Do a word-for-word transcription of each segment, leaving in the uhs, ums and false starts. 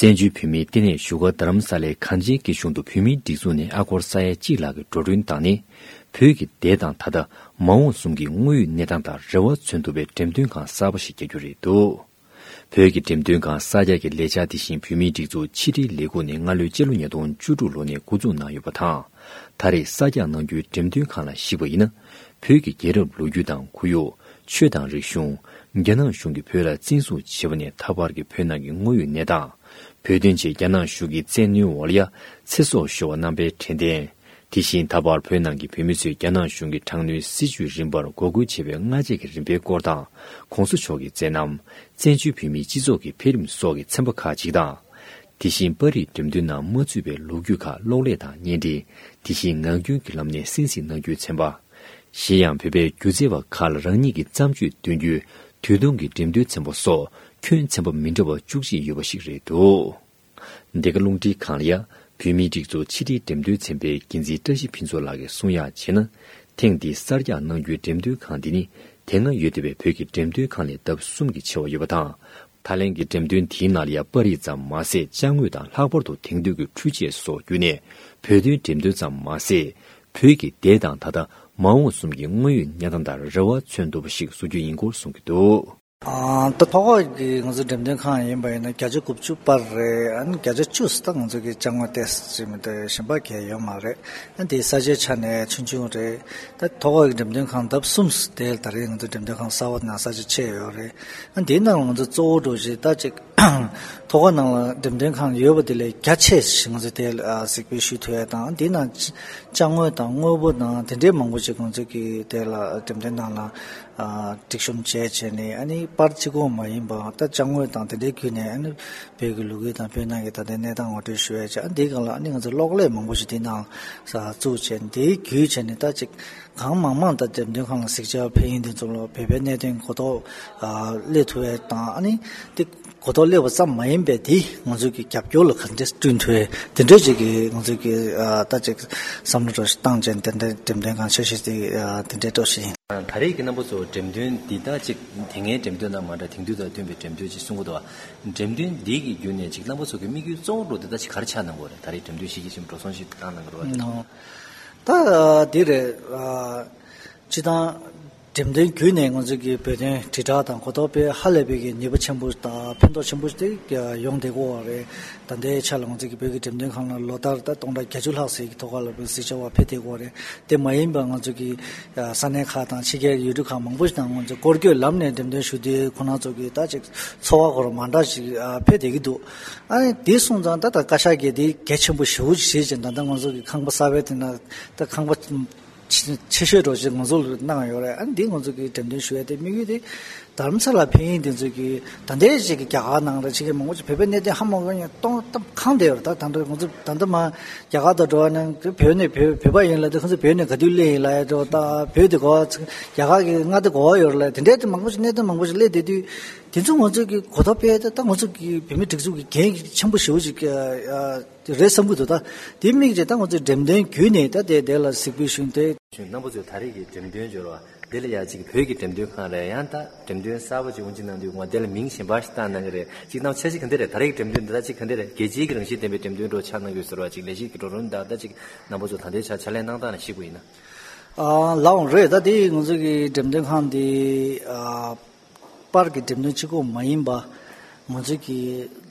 བཙན་བྱོལ་བོད་མིའི་ལྟེ་གནས་བཞུགས་སྒར་རྡ་རམ་ས་ལའི་གངས་ཅན་སྐྱིད་གཤོངས་དུ་བོད་མིའི་སྒྲིག་འཛུགས་ནས་ཨ་སྒོར་ས་ཡ་གཅིག་ལྷག་གི་འགྲོ་གྲོན་བཏང་ནས། བོད་ཀྱི་འདས་དང་ད་ལྟ་མ་འོངས་གསུམ་གྱི་དངོས་ཡོད་གནས་སྟངས་དང་རེ་བ་མཚོན་ཐུབ་པའི་འགྲེམས་སྟོན་ཁང་གསར་པ་ཞིག་རྒྱག་རྒྱུ་རེད་འདུག་བོད་ཀྱི་འགྲེམས་སྟོན་ཁང་གསར་རྒྱག་གི་ལས་འཆར་དེ་བཞིན་བོད་མིའི་སྒྲིག་འཛུགས་ཕྱི་དྲིལ་ལས་ཁུངས་ནས་སྔ་ལོའི་སྤྱི་ལོ་ཉིས་སྟོང་བཅུ་དྲུག་ལོ་ནས་འགོ་འཛུགས་གནང་ཡོད་པ་དང་། ད་རེས་གསར་རྒྱག་གནང་རྒྱུའི་འགྲེམས་སྟོན་ཁང་ལ་གཞིགས་པ་ཡིན་ན། བོད་ཀྱི་རྒྱལ་རབས་ལོ་རྒྱུས་དང་ཁོར་ཡུག་ཆོས་དང་རིག་གཞུང་། རྒྱ་ནག་གཞུང་གིས་བོད་ལ་བཙན་བཟུང་བྱས་པ་ནས་ད་བར་གྱི་བོད་ནང་གི་དངོས་ཡོད་གནས་སྟངས། བོད་དོན་ཆེད་རྒྱ་ནག་གཞུང་གིས་བཙན་གནོན་འོག་ལ་ཡ་ཚེ་སྲོག་ཤོར་བ་རྣམ་པའི་དྲན་རྟེན། དེ་བཞིན་ད་བར་བོད་ནང་གི་བོད་མི་ཚོས་རྒྱ་ནག་གཞུང་གི་དྲག་གནོན་སྲིད་བྱུས་རིམ་པར་འགོག་རྒོལ་བྱས་པའི་སྔ་རྗེས་ཀྱི་རིམ་པའི་སྐོར་དང་། ༸གོང་ས་མཆོག་གི་མཛད་རྣམ། བཙན་བྱོལ་བོད་མིའི་སྤྱི་ཚོགས་ཀྱི་འཕེལ་རིམ་སོགས་ཀྱི་ཚན་པ་ཁག་ཅིག་དང་། དེ་བཞིན་པར་རིས་འགྲེམས་སྟོན་ནང་མ་ཚུད་པའི་ལོ་རྒྱུས་ཁག་གློག་ཀླད་དང་བརྙན་འཕྲིན། དེ་བཞིན་ངག་རྒྱུན་གྱི་ལམ་ནས་གསན་གཟིགས་གནང་རྒྱུའི་ཚན་པ། གཞན་ཡང་བོད་པའི་སྒྱུ་རྩལ་བ་ཁག་ལ་རང་ཉིད་ཀྱི་བརྩམས་ཆོས་སྟོན་རྒྱུའི་དུས་ཐུང་གི་འགྲེམས་སྟོན་ཚན་པ་སོགས་ཁྱོན་ཚན་པ་མི་འདྲ་བ་བཅུ་གཅིག་ཡོད་པ་ཞིག་རེད་འདུག་འདི་ག་རླུང་འཕྲིན་ཁང་ལ་ཡ། བོད་མིའི་སྒྲིག་འཛུགས་ཕྱི་དྲིལ་འགྲེམས་སྟོན་ཚན་པའི་འགན་འཛིན་བཀྲ་ཤིས་ཕུན་ཚོགས་ལགས་ཀྱིས་གསུང་ཡག་བྱས་ན། ཐེངས་འདིའི་གསར་རྒྱག་གནང་རྒྱུའི་འགྲེམས་སྟོན་ཁང་འདི་ནི་དེ་སྔ་ཡོད་བསྡད་པའི་བོད་ཀྱི་འགྲེམས་སྟོན་ཁང་ལས་ལྡབ་གསུམ་གྱིས་ཆེ་བ་ཡོད་པ་དང་། ད་ལན་གྱི་འགྲེམས་སྟོན་དེའི་ནང་ལ་ཡ་པར་རིས་ཙམ་མ་ཟད་ཅ་དངོས་དང་ལྷག་པར་དུ་དེང་དུས་ཀྱི་འཕྲུལ་ཆས་སོགས་བརྒྱུད་ནས་བོད་དོན་འགྲེམས་སྟོན་ཙམ་མ་ཟད། བོད་ཀྱི་འདས་དང་ད་ལྟ་མ་འོངས་གསུམ་གྱི་དངོས་ཡོད་གནས་སྟངས་དང་རེ་བ་མཚོན་ཐུབ་པ་ཞིག་བཟོ་རྒྱུ་ཡིན་སྐོར་གསུང་གི་འདུག་ཨ། ད་ཐོག་ཁག་གི་ང་ཚོ་འགྲེམས་སྟོན་ཁང་ཡིན་པ་ཡིན་ན་བརྒྱ་ཆ་དགུ་བཅུ་པར་རེད། ཨ་ནི་བརྒྱ་ཆ་བཅུ་ད་ང་ཚོ་གི་ཅ་དངོས་ཏོག་ཙམ་མི་འདུག་གཞན་པ་གང་ཡང་ཡོད་མ་རེད། ཨ་ནི་དེའི་ས་ཆའི་ཆ་ནས་ཆུང་ཆུང་རེད། ད་ཐོག་ཁག་གི་འགྲེམས་སྟོན་ཁང་ལྡབ་གསུམ་དེ་ད་རེས་ང་ཚོ་འགྲེམས་སྟོན་ཁང་གསར་པ་ནང་ས་ཆ་ཕྱེ་ཡོད་རེད། ཨ་ནི་དེའི་ནང་ང་ཚོ་གཙོ་བོ་འགྲོ་བཞིན་ད་ཅིག་ཐོག་ཁག་ནང་ལ་འགྲེམས་སྟོན་ཁང་ཡོད་པ་དེ་ལས་རྒྱ་ཆེ་ཞིག་ང་ཚོ་དེ་ལ་གཟིགས་འབུལ་ཞུ་ཐུབ་ཡ་དང་། དེའི་ནང་ཅ་དངོས་དང་དངོས་པོ་དང་དེ་འདྲའི་མང་པོ་ཞིག་ང་ཚོ་གི་དེ་ལ་འགྲེམས་སྟོན་ནང་ལ་ཨ་སྒྲིག་གཤོམ་བྱས་བྱས་ནས། ཨ་ནི་པར་གཅིག་པོ་མ་ཡིན་པ་ད་ཅ་དངོས་དང་དེ་འདྲའི་བརྒྱུད་ནས། ཨ་ནི་བོད་ཀྱི་ལོ་རྒྱུས་དང་བོད་ནང་གི་ད་ལྟའི་གནས་སྟངས་ངོ་སྤྲོད་ཞུ་ཡ་བྱས། ཨ་ནི་དེའི་སྒང་ལ་ཨ་ནི་ང་ཚོ་གློག་ཀླད་མང་པོ་ཞིག་དེའི་ནང་ལ་བཙུགས་བྱས། དེའི་བརྒྱུད་བྱས་ནས་ད་ཅིག་གང་མང་མང་ད་འགྲེམས་སྟོན་ཁང་ལ་གཟིགས་བྱས་ཕེབས་མཁན་དེ་ཚོ་ལ་བོད་པའི་གནད་དོན་གོ་རྟོགས་ཨ་སླེབས་ཐུབ་ཡ་དང་། ཨ་ནི་དེ་གོ་རྟོགས་སླེབས་པ་ཙམ་མ་ཡིན་པའི་དེ་ང་ཚོ་གི་རྒྱབ་སྐྱོར་ལ་ག་འདྲས་བསྐྲུན་ཐུབ་ཡ་དེ་འདྲས་ཅིག་གི་ང་ཚོ་གི་ཨ་ད་ཅིག་བསམ་བློ་འདྲ་ཞིག་བཏང་བྱས་དེ་འདྲས་འགྲེམས་སྟོན་ཁང་འཆར་གཞི་དེ་ཨ་དེ་འདྲས་སྤྲོ་བཞིན་ཡིན། ད་རེས་ཀྱི་རྣམ་པ་ཚོ་འགྲེམས་སྟོན་འདི་ད་ཅིག་དེ་སྔའི་འགྲེམས་སྟོན་དང་མ་འདྲ། དེང་དུས་དང་བསྟུན་པའི་འགྲེམས་སྟོན་ཅིག་གསུང་གི་འདུག་བ། འགྲེམས་སྟོན་འདི་གི་བརྒྱུད་ནས་ཅིག་རྣམ་པ་ཚོ་གི་དམིགས་ཡུལ་གཙོ་བོ་འདྲ་བོ་འདི་ད་ཅིག་ག་རེ་ཆགས་གནང་གི་ཡོད་རེད། ད་རེས་འགྲེམས་སྟོན་གཞི་རྒྱ་ཆེན་པོ་འགྲོ་སོང་ཞིག་བཏང་གནང་གི་རེད་བ། ནོ། ད་འདི་རེད། ཨ། སྤྱིར་བཏང་འགྲེམས་སྟོན་བརྒྱུད་ནས་ང་ཚོ་གི་བོད་དོན་དྲིལ་བསྒྲགས་དང་གོ་རྟོགས་སྤེལ་ཧ་ལས་པའི་གི་ནུས་པ་ཆེན་པོ་དང་ཕན་ཐོགས་ཆེན་པོ་དེ་ཡོང་བསྡད་ཀྱི་ཡོད་རེད། ད་ལྟའི་ཆ་ལ་ང་ཚོ་གི་བོད་ཀྱི་འགྲེམས་སྟོན་ཁང་ལ་ལོ་ལྟར་ད་སྟོང་ཕྲག་བརྒྱད་ཅུ་ལྷག་ཙམ་གྱི་ཐོག་ཁ་ལ་བོད་གཟིགས་བྱ་བ་ཕེབས་བསྡད་ཀྱི་ཡོད་རེད། དེ་མ་ཡིན་པ་ང་ཚོ་གི་ས་གནས་ཁག་དང་ཕྱི་རྒྱལ་ཡུལ་གྲུ་ཁག་མང་པོ་ཞིག་ནང་ང་ཚོ་སྐོར་སྐྱོད་ལམ་ནས་འགྲེམས་སྟོན་ཞུ་དུས་ཁོང་རྣམ་ཚོ་གི་ད་ཅིག་ཚོར་བ་སྐོར་མ་འདྲ་ཞིག་ཕེབས་བསྡད་ཀྱི་འདུག་ཨ་ནི་དེ་སོང་ཙང་ད་ད་བཀའ་ཤག་གིས་དེ་གལ་ཆེན་པོ་ཞེ་པོ་ཅིག་བྱེད་ཅིང་། ད་ལྟ་ང་ཚོ་གི་ཁང་པ་གསར་པའི་དེ་ན་ད་ཁང་པ་ཆེ་ཤོས་འདྲ་ཅིག་ང་ཚོ་ལ་གནང་ཡོད་རེད། ཨ་ནི་འདི་ང་ཚོ་གི་འགྲེམས་སྟོན་ཞུ་ཡ་དེ་དམིགས་ཡུལ་དེ་རྡ་རམ་ས་ལ་ཕེབས་མཁན་དེ་ཚོ་གི་ད་ལྟའི་ཅིག་གི་རྒྱ་གར་ནང་རེད། ཕྱི་རྒྱལ་མང་པོ་ཅིག་བོད་པའི་གནད་དོན་ཧ་མ་གོ་མཁན་སྟོང་སྟབས་གང་བསྡད་ཡོད་རེད། ད་ད་ལྟ་ང་ཚོ་ད་ལྟ་མ་རྒྱ་གར་དུ་འགྲོ་བ་ན་བོད་ནས་བོད་བོད་པ་ཡིན་ལབ་དུས་ཁོང་ཚོ་བོད་ནས་ག་དུས་སླེབས་ཡིན་ལབ་ཡ་འདྲ་བོ། ད་བོད་དེ་གོ་བ་རྒྱ་གར་གི་མངའ་སྡེ་གོ་བ་ཡོད་རེད་ལབ་དེ་འདྲའི་དེ་མང་པོ་ཅིག་གནད་དོན་མང་པོ་ཅིག་སླེབས་བསྡད་དུས། དེ་ཚོ་ང་ཚོ་གི་གོ་རྟོགས་སྤེལ་ཡ་དེ་ད་ང་ཚོ་གི་བོད་མི་སྒྲིག་འཛུགས་ཀྱི་འགན་ཆེན་པོ་ཞེ་པོ་ཅིག་ཨ་རེད་བསམ་གྱི་འདུག་ད་དེ་དམིགས་བྱས་ད་ང་ཚོས་འགྲེམས་སྟོན་བརྒྱུད་ནས་ད་དེ་དེ་ལ་གཟིགས་འབུལ་ཞུས་ཏེ། རྣམ་པ་ཚོས་ད་རེས་ཀྱི་འགྲེམས་སྟོན་འབྱོར་བ་འདི་ལ་ཡ་གཅིག་བོད་ཀྱི་འགྲེམས་སྟོན་ཁང་རེད། ཡང་ད་འགྲེམས་སྟོན་གསར་པ་ཅིག་འོང་ཅིག་གནང་དུས་ང་དེ་ལ་མིང་གཞན་པ་ཞིག་བཏགས་གནང་གི་རེད། གཅིག་གནང་འཆར་གཞི་ག་འདྲ་རེད། ད་རེས་ཀྱི་འགྲེམས་སྟོན་འདི་ད་གཅིག་ག་འདྲ་རེད། རྒྱལ་སྤྱིའི་གི་རང་བཞིན་ལྡན་པའི་འགྲེམས་སྟོན་འདྲ་ཆགས་གནང་གི་ཡོད་ཟེར་བ་ཅིག་ལས་གཞི་གི་གྲོགས་རོགས་དང་ད་ཅིག་རྣམ་པ་ཚོ་ད་ལྟའི་ཆར་ཕྱག་ལས་གནང་སྟངས་ལ་གཞིགས་པ་ཡིན་ན། ཨ་ལགས་འོང་རེད། ད་དེ་ང་ཚོ་གི་འགྲེམས་སྟོན་ཁང་འདི་ཨ་པར་གྱི་འགྲེམས་སྟོན་གཅིག་པོ་མ་ཡིན་པ་ང་ཚོ་གི་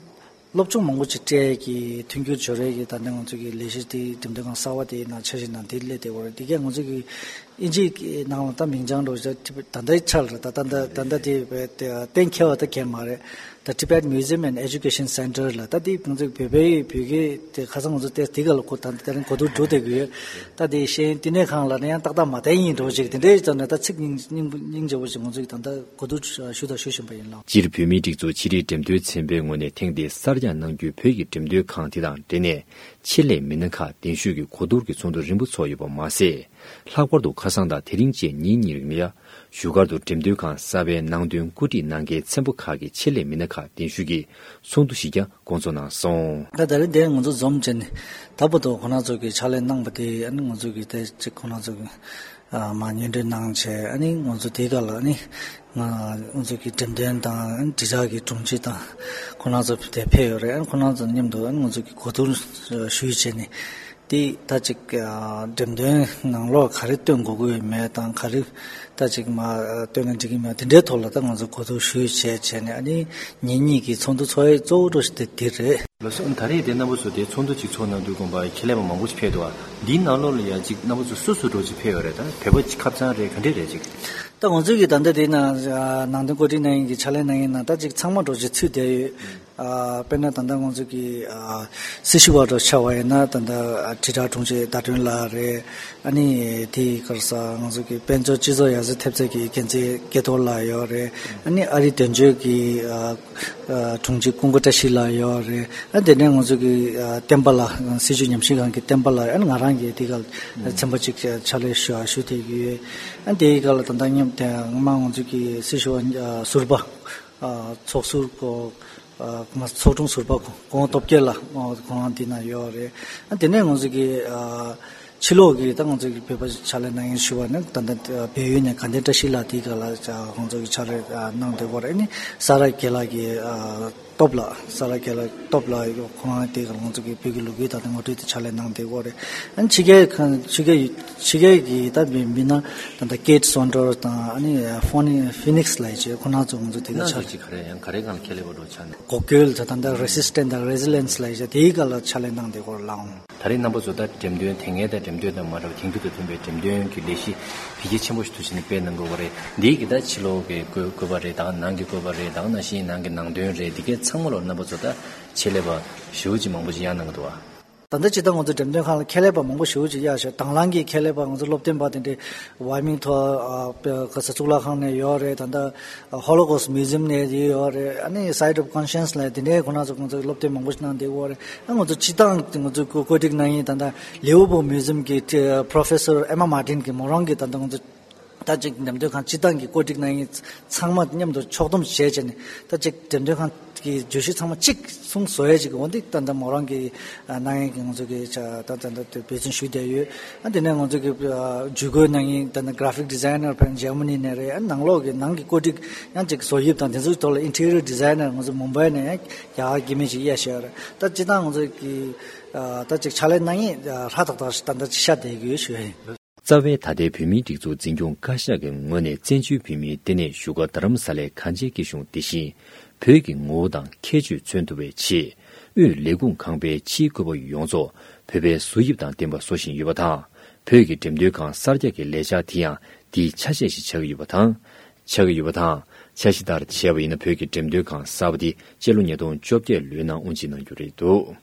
སློབ་སྦྱོང་མང་པོ་ཅིག་སྤྲད་ཀྱི་མཐུན་འགྱུར་སྦྱོར་ཡས་ཀྱི་ད་ནི་ང་ཚོ་གི་ལས་གཞི་དེ་འགྲེམས་སྟོན་ཁང་གསར་པ་དེའི་ནང་འཆར་གཞི་ནང་དེ་སླེབས་བསྡད་ཡོད་རེད། དེ་གས་ང་ཚོ་གི་ཨིན་ཇིའི་ནང་ལ་ད་མིང་བྱང་འགྲོ་ད་ད་ལྟ་ད་ལྟ་ད་ལྟ་དེ་བས་གཏན་འཁེལ་བ་ད་གས་མ་རེད། ད་Tibet Museum and Education Center ལ་ད་དེ་ང་ཚོ་བོད་པའི་བོད་སྐད་དེ་ཁ་སང་ང་ཚོ་དེ་དེ་ག་ལ་གོ་ད་ད་རིང་གོ་བསྡུར་འགྲོ་བསྡད་ཀྱི་ཡོད། ད་དེ་ཤེས་ཡོན་བསྟི་གནས་ཁང་ལ་ནི་ཡང་ཏག་ཏག་མ་བསྟན་ཡིན་འགྲོ་ཅིག་དེ་འདྲའི་ཙམ་ནས་ད་ཚིག་སྙིང་སྙིང་སྙིང་རྗེ་པོ་ཞིག་ང་ཚོ་གི་ད་ལྟ་གོ་བསྡུར་ཞུ་དང་ཞུ་བཞིན་པ་ཡིན་ལགས། སྤྱིར་བོད་མིའི་སྒྲིག་འཛུགས་ཕྱི་དྲིལ་འགྲེམས་སྟོན་ཚན་པའི་ངོས་ནས་ཐེངས་འདིའི་གསར་རྒྱག་གནང་རྒྱུའི་བོད་ཀྱི་འགྲེམས་སྟོན་ཁང་དེ་དང་འབྲེལ་ནས་ཆེད་ལས་མི་སྣ་ཁག་གདན་ཞུས་ཀྱིས་གོ་བསྡུར་གྱི་ཚོགས་འདུ་རིམ་པ་ཚོགས་ཡོད་པ་མ་ཟད། ལྷག་པར་དུ་ཁ་སང་དང་དེ་རིང་བཅས་ཉིན་གཉིས་རིང་ལ་ཡ། བཞུགས་སྒར་དུ་འགྲེམས་སྟོན་ཁང་གསར་པའི་ནང་དོན་བཀོད་སྒྲིག་གནང་མཁན་ཚན་པ་ཁག་གི་ཆེད་ལས་མི་སྣ་ཁག་གདན་ཞུས་ཀྱིས་ཚོགས་འདུ་ཞིག་ཀྱང་འགོ་འཛུགས་གནང་སོང་། ད་ད་རེས་འདིར་ང་ཚོ་འཛོམས་བྱས་ནས་ད་བར་དུ་ཁོང་རྣམ་ཚོ་གིས་ཕྱག་ལས་གནང་པ་དེ་ཨ་ནི་ང་ཚོ་གིས་དེ་གཅིག་ཁོང་རྣམ་ཚོ་གིས་ཨ་མ་སྙན་སྒྲོན་གནང་བྱས། ཨ་ནི་ང་ཚོ་དེ་ག་ལ་ཨ་ནི་ ང་ང་ཚོ་གི་འགྲེམས་སྟོན་དང་དྲིལ་བསྒྲགས་ཀྱི་དྲུང་ཆེ་དང་ཁོང་རྣམ་ཚོ་དེ་ཕེབས་ཡོད་རེད། ཁོང་རྣམ་ཚོ་མཉམ་དུ་ང་ཚོ་གི་གོ་བསྡུར་ཞུས་བྱས་ནས། དེ་ད་ཅིག་ཨ་འགྲེམས་སྟོན་ནང་ལོགས་ག་རེ་སྟོན་དགོས་ཀྱི་ཡོད་མེད་དང་། ག་རེ་ད་ཅིག་མ་སྟོན་ན་འགྲིག་གི་མེད། དེ་འདྲའི་ཐོག་ལ་ད་ང་ཚོ་གོ་བསྡུར་ཞུས་བྱས་བྱས་ནས། ཨ་ནི་ཉིན་གཉིས་ཀྱི་ཚོགས་འདུ་ཚོགས་ཡས་གཙོ་བོ་འདྲ་ཞིག་དེ་དེ་རེད། ལགས་སོ། ད་རེས་དེ་རྣམ་པ་ཚོ་དེ་ཚོགས་འདུ་ཅིག་ཚོགས་གནང་དུས་དགོངས་པ་ཁྱེད་ལས་པ་མང་པོ་ཞིག་ཕེབས་འདུག་ཨ། འདིའི་ནང་ལོགས་ལ་ཡ་ཅིག་རྣམ་པ་ཚོ་སུ་སུ་འདྲ་ཅིག་ཕེབས་ཡོད་རེད། ད་བོད་པ་ཁྱབ་ཚང་རེད། ག་འདྲས་རེད་ཅིག་ད་ང་ཚོའི་གི་ད་ལྟ་དེ་ན་ཨ་ནང་དོན་བཀོད་སྒྲིག་གནང་མཁན་གྱི་ཕྱག་ལས་གནང་མཁན་ནང་ད་ཅིག་ཚང་མ་འདྲ་ཅིག་ཚུད་བསྡད་ཡོད། ཨ་དཔེར་ན་ད་ལྟ་ང་ཚོ་གི་ཨ་སྲི་ཞུ་བ་འདྲ་ཆགས་པ་ཡིན་ན། ད་ལྟ་ཨ་དྲིལ་བསྒྲགས་དྲུང་ཆེ་ཟླ་སྒྲོན་ལགས་རེད། ཨ་ནི་དེའི་སྐོར་ས་ང་ཚོ་གི་དཔལ་འབྱོར་སྤྱི་ཚོགས་ཡར་རྒྱས་ཐེབས་རྩ་གི་འགན་འཛིན་སྐལ་རྡོར་ལགས་ཡོད་རེད། ཨ་ནི་ཨ་རིའི་དོན་གཅོད་ཀྱི་ཨ་ཨ་དྲུང་ཆེ་ཀུན་དགའ་བཀྲ་ཤིས་ལགས་ཡོད་རེད། ཨ་དེ་ནས་ང་ཚོ་གི་ཨ་བསྟན་པ་ལགས། སྲིད་བྱུས་ཉམས་ཞིབ་ཁང་གི་བསྟན་པ་ལགས། ཨ་ནི་ང་རང་གིས་དེ་ག་ཚན་པ་གཅིག་ཕྱག་ལས་ཞུ་ཞུ་བསྡད་ཀྱི་ཡོད། ཨ་དེའི་སྐབས་ལ་ད་ལྟ་མཉམ་དུ་སྔོན་མ་ང་ཚོ་གི་སྲི་ཞུ་བ་ཨ་ཟུར་པ། ཨ་ཚོགས་ཟུར་ཁོ། ཨ་ཚོགས་དྲུང་ཟུར་པ་ཁོ། ཁོང་སྟོབས་རྒྱལ་ལགས། ཁོང་ཁོང་འདི་ན་ཡོད་རེད། ཨ་དེ་ནས་ང་ཚོ་གི་ཨ་ཕྱི་ལོགས་ཀྱི་ད་ང་ཚོ་གི་བོད་པ་ཕྱག་ལས་གནང་མཁན་ཞུ་བ་ནི། ད་ལྟ་བལ་ཡུལ་ནས་དགའ་ལྡན་བཀྲ་ཤིས་ལགས། དེའི་སྐབས་ལ་ཁོང་ཚོ་གི་ཕྱག་ལས་གནང་བསྡད་ཡོད་རེད། ཨ་ནི་ས་ར་རྒྱལ་ལགས་ཀྱི་ཨ་སྟོབས་ལགས། ས་ར་རྒྱལ་ལགས་སྟོབས་ལགས། ཁོང་དེ་ག་ང་ཚོ་གི་བོད་ཀྱི་ལོ་རྒྱུས་དང་ངོ་སྤྲོད་དེ་ཕྱག་ལས་གནང་བསྡད་ཡོད་རེད། ཨ་ནི་ཕྱི་རྒྱལ་ཁང་ཕྱི་རྒྱལ་ཕྱི་རྒྱལ་གྱི་ད་མི་མི་སྣ་ད་ལྟ་ཀེ་ཊི་སོན་ཌར་དང་། ཨ་ནི་ཧྥོ་ནི་ཧྥི་ནིག་སི་ལབ་ཡས་ཅིག་ཁོང་རྣམ་ཚོ་ང་ཚོ་དེ་ག་ཕྱག་ལས། ཅིག་ག་རེ་ཡང་ག་རེ་སྒང་ལ་ཁྱེད་ལས་པ་འགྲོ་ཆ་ནས། འགོག་རྒོལ་དང་། ད་ལྟ་རེ་སི་སི་ཊེན་སི་དང་རེ་སི་ལི་ཡེན་སི་ལབ་ཡས་ཅིག་དེའི་སྒང་ལ་ཕྱག་ལས་གནང་བསྡད་ཡོད་རེད་ལགས། ད་རེས་རྣམ་པ་ཚོ་ད་འགྲེམས་སྟོན་དེ་སྔའི་ད་འགྲེམས་སྟོན་དང་མ་འདྲ་བ། དེང་དུས་དང་མཐུན་པའི་འགྲེམས་སྟོན་གྱི་ལས་གཞི་འཕེལ་རྒྱས་ཆེན་པོ་ཞིག་ཏུ་ཕྱིན་ནས་སྤེལ་གནང་དགོས་པ་རེད། འདིའི་གི་ད་ཕྱི་ལོགས་ཀྱི་བཀོད་བཀོད་པ་རེད། ད་ནང་གི་བཀོད་པ་རེད། ད་ནང་བཞིན་ནང་གི་ནང་དོན་རེད། འདི་གའི་ཚང་མ་ལོ་རྣམ་པ་ཚོ་ད་ཆེད་ལས་པ་ཞེ་པོ་ཅིག་མང་པོ་ཅིག་གཡར་གནང་གི་འདུག་བ། ད་ལྟ་སྤྱིར་བཏང་ང་ཚོ་འགྲེམས་སྟོན་ཁང་ལ་ཆེད་ལས་པ་མང་པོ་ཞེ་པོ་ཅིག་གཡར་ཤག་དང་བླངས་ཀྱི་ཆེད་ལས་པ་ང་ཚོ་སློབ་སྟོན་པ་དེ་འདྲའི་ཝའི་མིང་ཐོག་ཨ་ག་ས་གཙུག་ལག་ཁང་ནས་ཡོད་རེད། ད་ལྟ་Holocaust Museum་ནས་ཡོད་རེད། ཨ་ནི་Site of Conscience་ལབ་དེ་འདྲའི་ཁོང་རྣམ་ཚོ་ཁོང་ཚོ་སློབ་སྟོན་མང་པོ་ཞིག་གནང་བསྡད་ཡོད་རེད། ཨ་ང་ཚོ་སྤྱིར་བཏང་ང་ཚོ་བཀོད་བཀོད་སྒྲིག་གནང་མཁན་ད་ལྟ་Liverpool Museum་གི་Professor Emma Martin་གི་མོ་རང་གི་ད་ལྟ་ང་ཚོ་ད་ཅིག་འགྲེམས་སྟོན་ཁང་སྤྱིར་བཏང་གི་བཀོད་སྒྲིག་གནང་མཁན་ཚང་མ་མཉམ་དུ་ཕྱོགས་བསྡོམས་བྱས་བྱས་ནས། ད་ཅིག་འགྲེམས་སྟོན་ཁང་གི་བརྗོད་གཞི་ཚང་མ་གཅིག་གསུམ་བཟོ་ཡས་ཅིག་འོ་འདི་ད་ལྟ་མོ་རང་གི་ཨ་གནང་མཁན་གྱི་ང་ཚོ་གི་ཆ་ད་ད་ད་འབད་བརྩོན་ཞུས་བསྡད་ཡོད། ཨ་དེ་ནས་ང་ཚོ་གི་ཨ་ཇུས་འགོད་གནང་མཁན་ད་ལྟ་Graphic Designer་ཕར་འཇར་མ་ནི་ནས་རེད། ཨ་ནང་ལོགས་ཀྱི་ནང་གི་བཀོད་སྒྲིག་ཡང་ཅིག་བཟོ་དབྱིབས་དང་དེ་ཚོའི་ཐོག་ལ་Interior Designer་ང་ཚོ་མུམ་བྷའི་ནས་ཡང་རྒྱ་གར་སྐྱེ་དམན་ཅིག་གཡར་བཞག་ཡོད་རེད། ད་སྤྱིར་བཏང་ང་ཚོ་གི་ཨ་ད་ཅིག་ཕྱག་ལས་གནང་མཁན་ཧྲ་ཐག་ཐག་ད་ལྟ་ཅིག་ཤར་བསྡད་ཡོད་ཞུ་ཡ་ཡིན། རྩ་བའི་ད་ལྟའི་བོད་མིའི་སྒྲིག་འཛུགས་འཛིན་སྐྱོང་བཀའ་ཤག་གི་ངོས་ནས་བཙན་བྱོལ་བོད་མིའི་ལྟེ་གནས་བཞུགས་སྒར་རྡ་རམ་ས་ལའི་གངས་ཅན་སྐྱིད་གཤོངས་འདི་བཞིན་བོད་ཀྱི་ངོ་བོ་དང་ཁྱད་ཆོས་མཚོན་ཐུབ་པའི་ཆེད། དབུས་ལས་ཁུངས་ཁང་པའི་ཕྱིའི་བཀོད་པ་ཡོངས་རྫོགས་བོད་པའི་བཟོ་དབྱིབས་དང་ལྡན་པ་བཟོ་བཞིན་ཡོད་པ་དང་། བོད་ཀྱི་འགྲེམས་སྟོན་ཁང་གསར་རྒྱག་གི་ལས་འཆར་དེ་ཡང་འདིའི་ཆ་ཤས་ཤིག་ཆགས་ཀྱི་ཡོད་པ་དང་། ཆགས་ཀྱི་ཡོད་པ་དང་། འཆར་གཞི་ལྟར་བྱས་པ་ཡིན་ན། བོད་ཀྱི་འགྲེམས་སྟོན་ཁང་གསར་པ་འདི་སྤྱི་ལོ་ཉིས་སྟོང་བཅོ་བརྒྱད་ལོའི་ནང་དབུ་འབྱེད་གནང་རྒྱུ་རེད་འདུག།